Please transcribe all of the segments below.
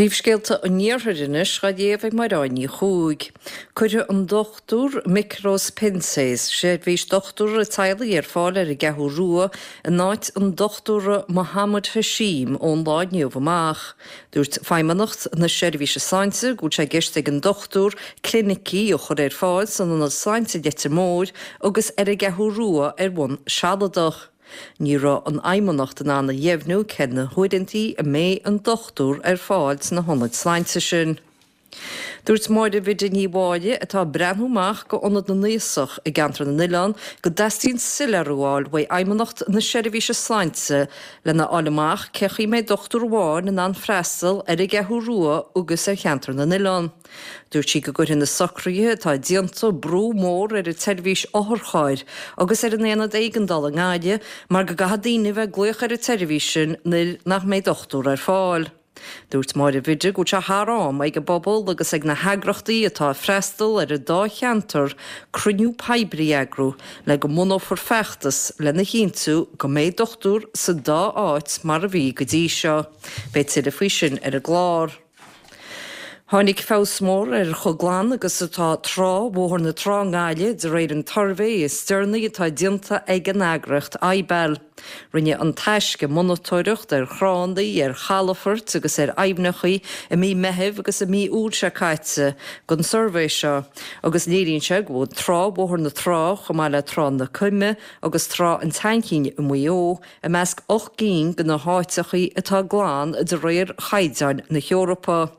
Príomhscéalta an Iarthair anois á léamh ag Mairéad Ní Chuaig. Cuirfidh an Dr Mikros Pentzes seirbhís dochtúra teaghlaigh ar fáil ar an gCeathrú Rua in áit an Dochtúra Mohammed Hashim ón lá inniu amach. Dúirt Feidhmeannacht na Seirbhíse Sláinte go bhfuil sé i gceist ag an dochtúir clinicí a chur ar fáil san Ionad Sláinte Leitir Móir agus ar an gCeathrú Rua ar bhonn sealadach. Ní raibh an Fheidhmeannacht in ann a dheimhniú cé na huaireantaí a mbeidh an dochtúir ar fáil sna hionaid sláinte sin. Dúirt Máire Bhiddy Ní Mháille, atá ag breathnú amach go Ionad na nAosach i gCeantar na nOileán, go dteastaíonn soiléiriú a fháil uaidh Fheidhmeannacht na Seirbhíse Sláinte lena fháil amach cé chaoi mbeidh dochtúir amháin in ann freastal ar an gCeathrú Rua agus ar Cheantar na nOileán. Dúirt sí go gcuirfidh na socruithe atá déanta brú mór ar an tseirbhís otharchairr agus ar an aonad éigeandála i nGaillimh mar go gcaithfidh daoine a bheith ag glaoch ar an tseirbhís sin nuair nach mbeidh dochtúir ar fáil. Dúirt Máire Bhiddy go bhfuil sé thar am ag an bpobal agus ag na heagrachtaí atá ag freastal ar an dá cheantar cruinniú poiblí a eagrú le go mbunófar feachtas lena chinntiú go mbeidh dochtúir sa dá áit mar a bhí go dtí seo. Beidh tuilleadh faoi sin ar an gclár. Tháinig feabhas mór ar chomh glan agus atá trá Bhóthar na Trá i nGaillimh de réir an tsuirbhé is deireanaí atá déanta ag an eagraíocht IBEL. Rinne An Taisce monatóireacht ar thránna, ar chalafoirt agus ar aibhneacha i mí Meithimh agus i mí Iúil seo caite don suirbhé seo agus léiríonn sé go bhfuil trá Bhóthar na Trá chomh maith le Trá na Coime agus Trá an tSeanchinn i Maigh Eo i measc 8 gcinn de na háiteachaí atá glan de réir chaighdeáin na hEorpa.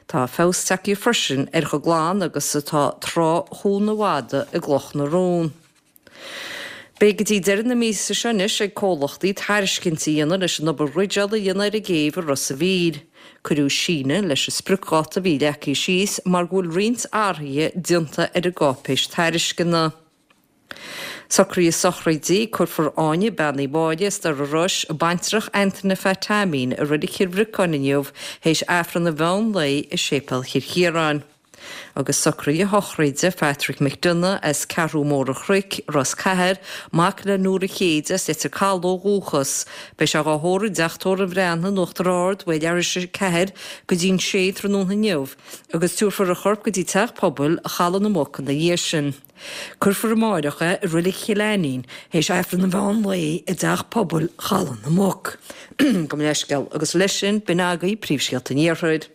Tá feabhas tagtha freisin ar chomh glan agus atá trá Chuan na bhFada i gCloch na Rón. Beidh go dtí deireadh na míosa seo anois ag comhlachtaí tairiscintí a dhéanamh leis an obair dhruideála a dhéanamh ar an gcéibh i Ros a' Mhíl. Cuireadh síneadh leis an spriocdháta a bhí leagtha síos mar go bhfuil roinnt athruithe déanta ar an gcáipéis tairisceana. Socruithe sochraide, Cuirfear Áine Bean Uí Mháille as Doire Rois, baintreach Antaine Phat Teaimín, i Reilig Chill Bhriocáin inniu théis Aifreann an mheán lae i Séipéal Chill Chiaráin. Agus socruithe sochraide Phatrick McDonagh as Ceathrú Mór an Chnoic, Ros Cathair, mac le Nóra Chéide as Leitir Caladh ó dhúchas. Beidh sé dhá thórramh i dTeach Tórraimh Bhreatnaigh in Uachtar Ard uaidh leathuair tar éis a 4 go dtí'n 6 tráthnóna inniu agus tabharfar a chorp go dtí Teach Pobail Chaladh na Muc ina dhiaidh sin. Cuirfear amáireach é i Reilig Chill Ainnín théis Aifreann an mheán lae i dTeach Pobail Chaladh na Muc. Gabh mo leithscéal. Agus leis sin, b'in agaibh príomhscéalta an Iarthair.